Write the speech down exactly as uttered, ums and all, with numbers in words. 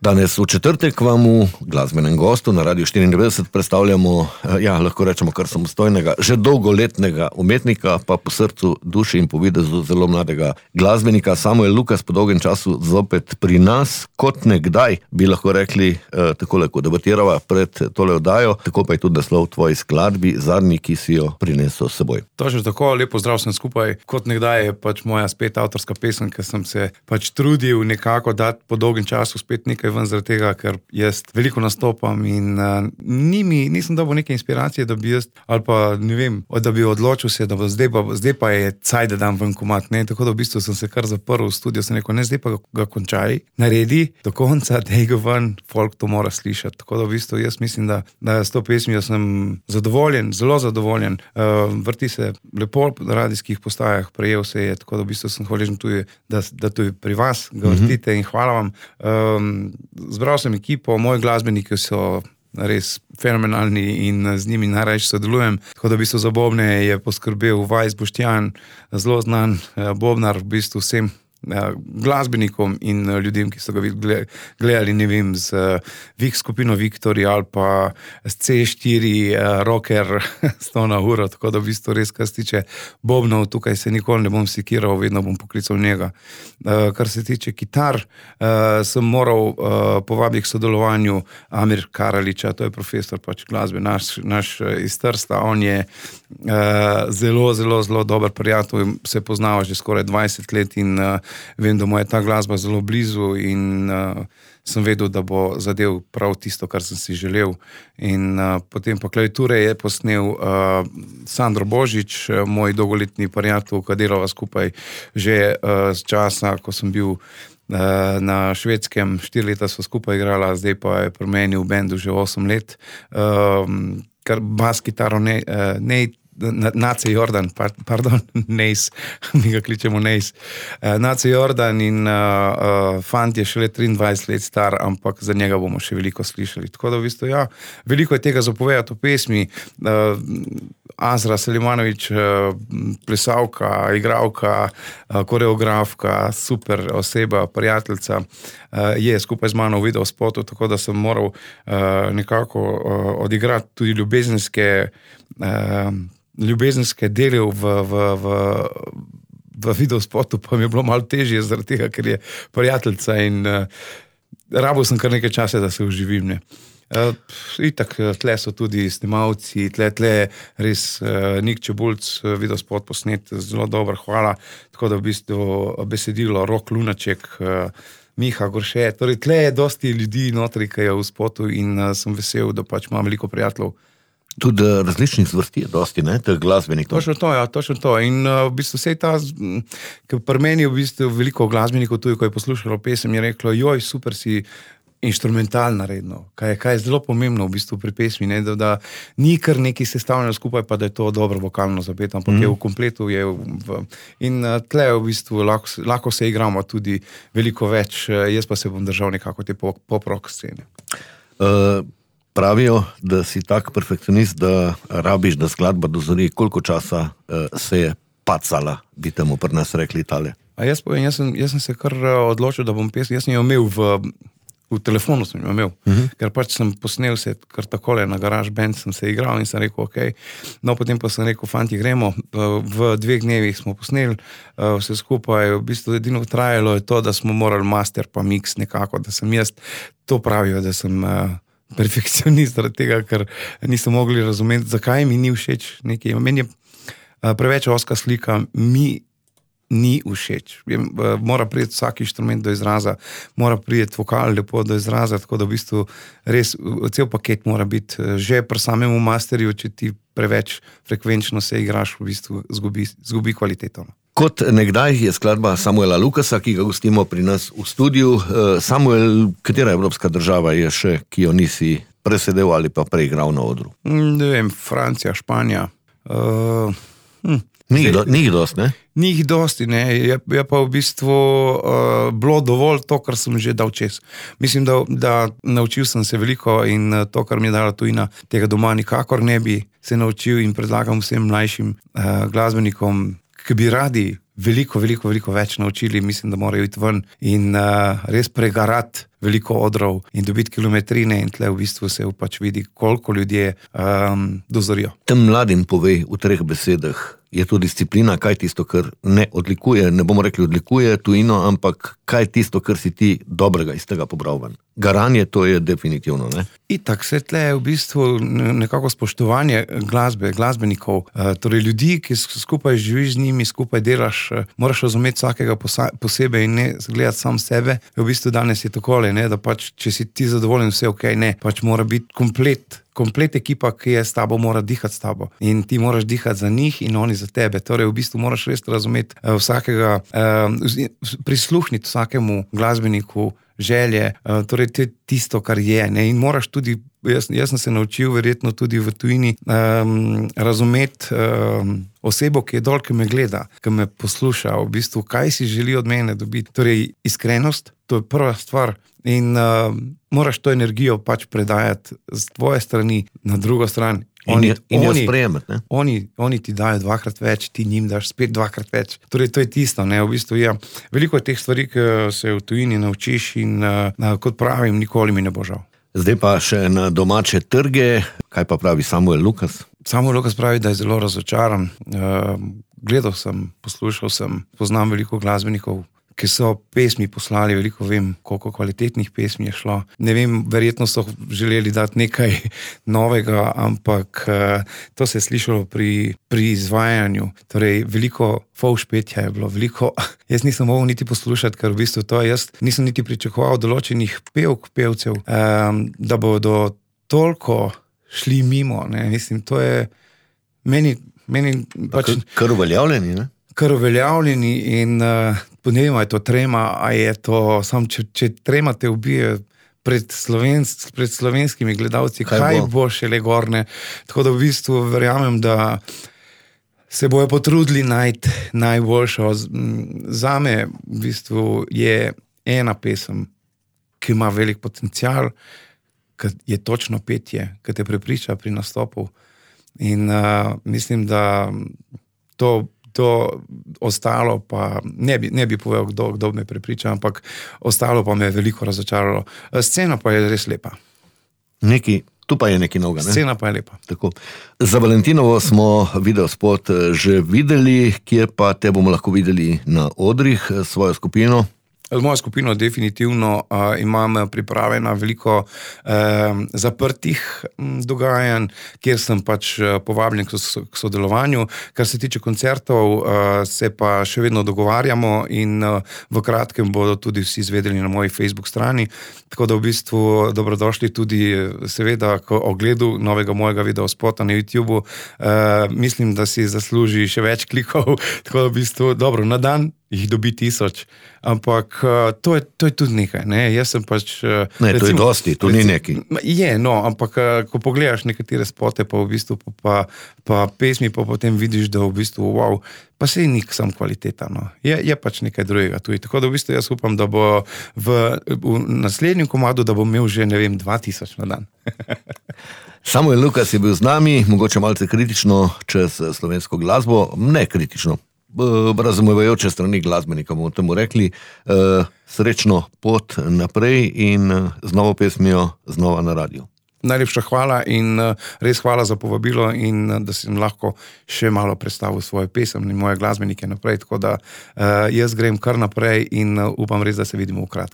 Danes v četrtek vam v glasbenem gostu na Radiu štiriindevetdeset predstavljamo, ja, lahko rečemo kar samostojnega, že dolgoletnega umetnika, pa po srcu, duši in po videzu zelo mladega glasbenika. Samuel Lukas po dolgem času zopet pri nas, kot nekdaj, bi lahko rekli, eh, takole, ko debatirava pred tole oddajo, tako pa je tudi naslov tvoji skladbi, zadnji, ki si jo prinesel s seboj. Točno tako, lepo zdrav sem skupaj. Kot nekdaj je pač moja spet avtorska pesem, ker sem se pač trudil nekako dati po dolgem času spet nekaj ven zaradi tega, ker jaz veliko nastopam in uh, ni mi, nisem dobil neke inspiracije, da bi jaz, ali pa ne vem, da bi odločil se, da bo zdaj pa, zdaj pa je caj, da dam ven komad, ne, tako da v bistvu sem se kar zaprl v studio, sem rekel, ne, zdaj pa ga, ga končaj, naredi do konca, dej ga ven, folk to mora slišati, tako da v bistvu jaz mislim, da, da s to pesmijo sem zadovoljen, zelo zadovoljen, uh, vrti se lepo na radijskih postajah, prejel se je, tako da v bistvu sem hvaležen tudi, da, da tudi pri vas ga vrtite mm-hmm. in hvala vam. Um, Zbral sem ekipo, moji glasbeniki so res fenomenalni in z njimi najrajši sodelujem. Tako da v bistvu za bobne je poskrbel Vajs Boštjan, zelo znan bobnar, v bistvu vsem glasbenikom in ljudem, ki so ga gledali, ne vem, z Vik skupino Viktori ali pa z C štiri rocker sto na uro, tako da v bistvu res, kar se tiče bobnov, tukaj se nikoli ne bom sekiral, vedno bom poklical njega. Kar se tiče kitar, sem moral povabiti k sodelovanju Amir Karaliča, to je profesor pač glasbe, naš, naš iz Trsta, on je zelo, zelo, zelo dober prijatelj, se poznava že skoraj dvajset let in vem, da mu je ta glasba zelo blizu in uh, sem vedel, da bo zadev prav tisto, kar sem si želel. In uh, potem pa klaviature je posnel uh, Sandro Božič, moj dolgoletni prijatelj, ki delava skupaj že uh, z časa, ko sem bil uh, na Švedskem, štiri leta sva skupaj igrala, zdaj pa je pri meni v bendu že osem let. Uh, kar bas kitaro ne, uh, ne Nace Jordan, pardon, Nejs, mi ga kličemo Nejs. Nace Jordan in uh, uh, fant je šele triindvajset let star, ampak za njega bomo še veliko slišali. Tako da v bistvu, ja, veliko je tega zapovedati v pesmi. Uh, Azra Selimanović, uh, plesavka, igralka, uh, koreografka, super oseba, prijateljica, uh, je skupaj z mano v videospotu, tako da sem moral uh, nekako uh, odigrati tudi ljubezenske uh, ljubezenske dele v, v, v, v videospotu, pa mi je bilo malo težje zaradi tega, ker je prijateljica in uh, rabil sem kar nekaj časa, da se uživim. Ne. Uh, itak, tle so tudi snimalci, tle, tle res uh, Nik Čebulc, videospot posnet, zelo dober, hvala. Tako da v bistvu besedilo Rok Lunaček, uh, Miha Gorše, torej tle je dosti ljudi notri, ki je v spotu in uh, sem vesel, da pač imam veliko prijateljev. Tudi različnih zvrsti je dosti, ne, teh glasbenikov. Točno to, ja, točno to. In uh, v bistvu vse ta, ker pri meni je v bistvu veliko glasbenikov tudi, ko je poslušalo pesem, je reklo, joj, super si inštrumental naredno, kaj, kaj je zelo pomembno v bistvu pri pesmi, ne, da, da ni kar neki sestavljeno skupaj, pa da je to dobro vokalno zapet, ampak mm. je v kompletu, je v, in uh, tle v bistvu lahko, lahko se igramo tudi veliko več, jaz pa se bom držal nekako te pop-rock scene. Uh, Pravijo, da si tak perfekcionist, da rabiš, da skladba dozori, koliko časa uh, se je pacala, bi temu pri nas rekli Italije. A jaz povem, jaz sem, jaz sem se kar odločil, da bom pesem, jaz sem jo imel v, v telefonu, sem jo imel, uh-huh. ker pač sem posnel se kar takole na Garage Band, sem se igral in sem rekel, ok, no potem pa sem rekel, fanti, gremo, v dveh dnevih smo posneli vse skupaj, v bistvu edino trajalo je to, da smo morali master pa mix nekako, da sem jaz, to pravijo, da sem perfekcionist zaradi tega, ker niso mogli razumeti, zakaj mi ni všeč nekaj. Meni je preveč oska slika, mi ni všeč. Mora priti vsak inštrument do izraza, mora priti vokal lepo do izraza, tako da v bistvu res cel paket mora biti že pri samemu masterju, če ti preveč frekvenčno se igraš, v bistvu zgubi, zgubi kvaliteto. Kot nekdaj je skladba Samuela Lukasa, ki ga gostimo pri nas v studiu. Samuel, katera evropska država je še, ki jo nisi presedel ali pa preigral na odru? Ne vem, Francija, Španija. Uh, hm. Ni jih dosti, ne? Ni jih dosti, ne. Je, je pa v bistvu uh, bilo dovolj to, kar sem že dal čez. Mislim, da, da naučil sem se veliko in to, kar mi je dala tujina, tega doma nikakor ne bi se naučil in predlagam vsem mlajšim uh, glasbenikom, ki bi radi veliko, veliko, veliko več naučili, mislim, da morajo iti ven in uh, res pregarati veliko odrov in dobiti kilometrine in tle v bistvu se pač vidi, koliko ljudje um, dozorijo. Tem mladim povej v treh besedah, je to disciplina, kaj tisto, kar ne odlikuje, ne bomo rekli odlikuje tujino, ampak kaj tisto, kar si ti dobrega iz tega pobral ven. Garanje, to je definitivno, ne? Itak, se tle je v bistvu nekako spoštovanje glasbe, glasbenikov, torej ljudi, ki skupaj živiš z njimi, skupaj delaš, moraš razumeti vsakega posebej in ne gledati sam sebe. V bistvu danes je takole, ne, da pač, če si ti zadovoljen, vse ok, ne, pač mora biti komplet, komplet ekipa, ki je s tabo, mora dihati s tabo. In ti moraš dihati za njih in oni za tebe. Torej, v bistvu moraš res razumeti vsakega, prisluhniti vsakemu glasbeniku, želje, torej to je tisto, kar je, ne, in moraš tudi, jaz, jaz sem se naučil verjetno tudi v tujini, um, razumeti um, osebo, ki je dol, ki me gleda, ki me posluša, v bistvu, kaj si želi od mene dobiti. Torej, iskrenost, to je prva stvar in uh, moraš to energijo pač predajati z tvoje strani na drugo stran. Oni, in jo oni, sprejemati, ne? Oni, oni ti dajo dvakrat več, ti njim daš spet dvakrat več. Torej, to je tisto, ne, v bistvu, ja. Veliko je teh stvari, ki se v tujini naučiš in uh, kot pravim, nikoli mi ne bo žal. Zdaj pa še na domače trge, kaj pa pravi Samuel Lukas? Samuel Lukas pravi, da je zelo razočaran. Uh, gledal sem, poslušal sem, poznam veliko glasbenikov, ki so pesmi poslali, veliko vem, koliko kvalitetnih pesmi je šlo. Ne vem, verjetno so želeli dati nekaj novega, ampak uh, to se je slišalo pri, pri izvajanju. Torej, veliko fovš petja je bilo, veliko, jaz nisem mogel niti poslušati, ker v bistvu to jaz nisem niti pričakoval določenih pevk, pevcev, um, da bodo toliko šli mimo, ne, mislim, to je meni, meni pač... Kar uveljavljeni, ne? Kar uveljavljeni in uh, ne vem, je to trema, a je to sam, če, če trema te ubije pred, slovensk, pred slovenskimi gledalci, kaj, kaj bo? bo šele gorne. Tako da v bistvu verjamem, da se bojo potrudili najti najboljšo. Zame v bistvu je ena pesem, ki ima velik potencial, ki je točno petje, ki te prepriča pri nastopu. In uh, mislim, da to To ostalo pa, ne bi, ne bi povedal, kdo, kdo me prepriča, ampak ostalo pa me je veliko razočaralo. Scena pa je res lepa. Neki, tu pa je nekaj novega, ne? Scena pa je lepa. Tako. Za Valentinovo smo videospot že videli, kje pa te bomo lahko videli na odrih, svojo skupino? Z mojo skupino definitivno uh, imam pripravljena veliko uh, zaprtih m, dogajanj, kjer sem pač uh, povabljen k, k sodelovanju. Kar se tiče koncertov, uh, se pa še vedno dogovarjamo in uh, v kratkem bodo tudi vsi izvedeli na moji Facebook strani. Tako da v bistvu dobrodošli tudi seveda k ogledu novega mojega videospota na YouTubeu. Uh, mislim, da si zasluži še več klikov, tako da v bistvu dobro, na dan jih dobi tisoč, ampak uh, to, je, to je tudi nekaj, ne, jaz sem pač... Uh, ne, recimo, to je dosti, to recimo, ni nekaj. Je, no, ampak uh, ko pogledaš nekatere spote, pa v bistvu pa, pa, pa pesmi, pa potem vidiš, da v bistvu, wow, pa se je nik sam kvaliteta, no, je, je pač nekaj drugega tudi, tako da v bistvu jaz upam, da bo v, v naslednjem komadu, da bo imel že, ne vem, dva tisoč na dan. Samuel Lukas je bil z nami, mogoče malce kritično čez slovensko glasbo, ne kritično, razumevajoče strani glasbenika, bomo temu rekli, srečno pot naprej in z novo pesmijo znova na radiju. Najlepša hvala in res hvala za povabilo in da sem lahko še malo predstavil svoje pesem in moje glasbenike naprej, tako da jaz grem kar naprej in upam res, da se vidimo v kratkem.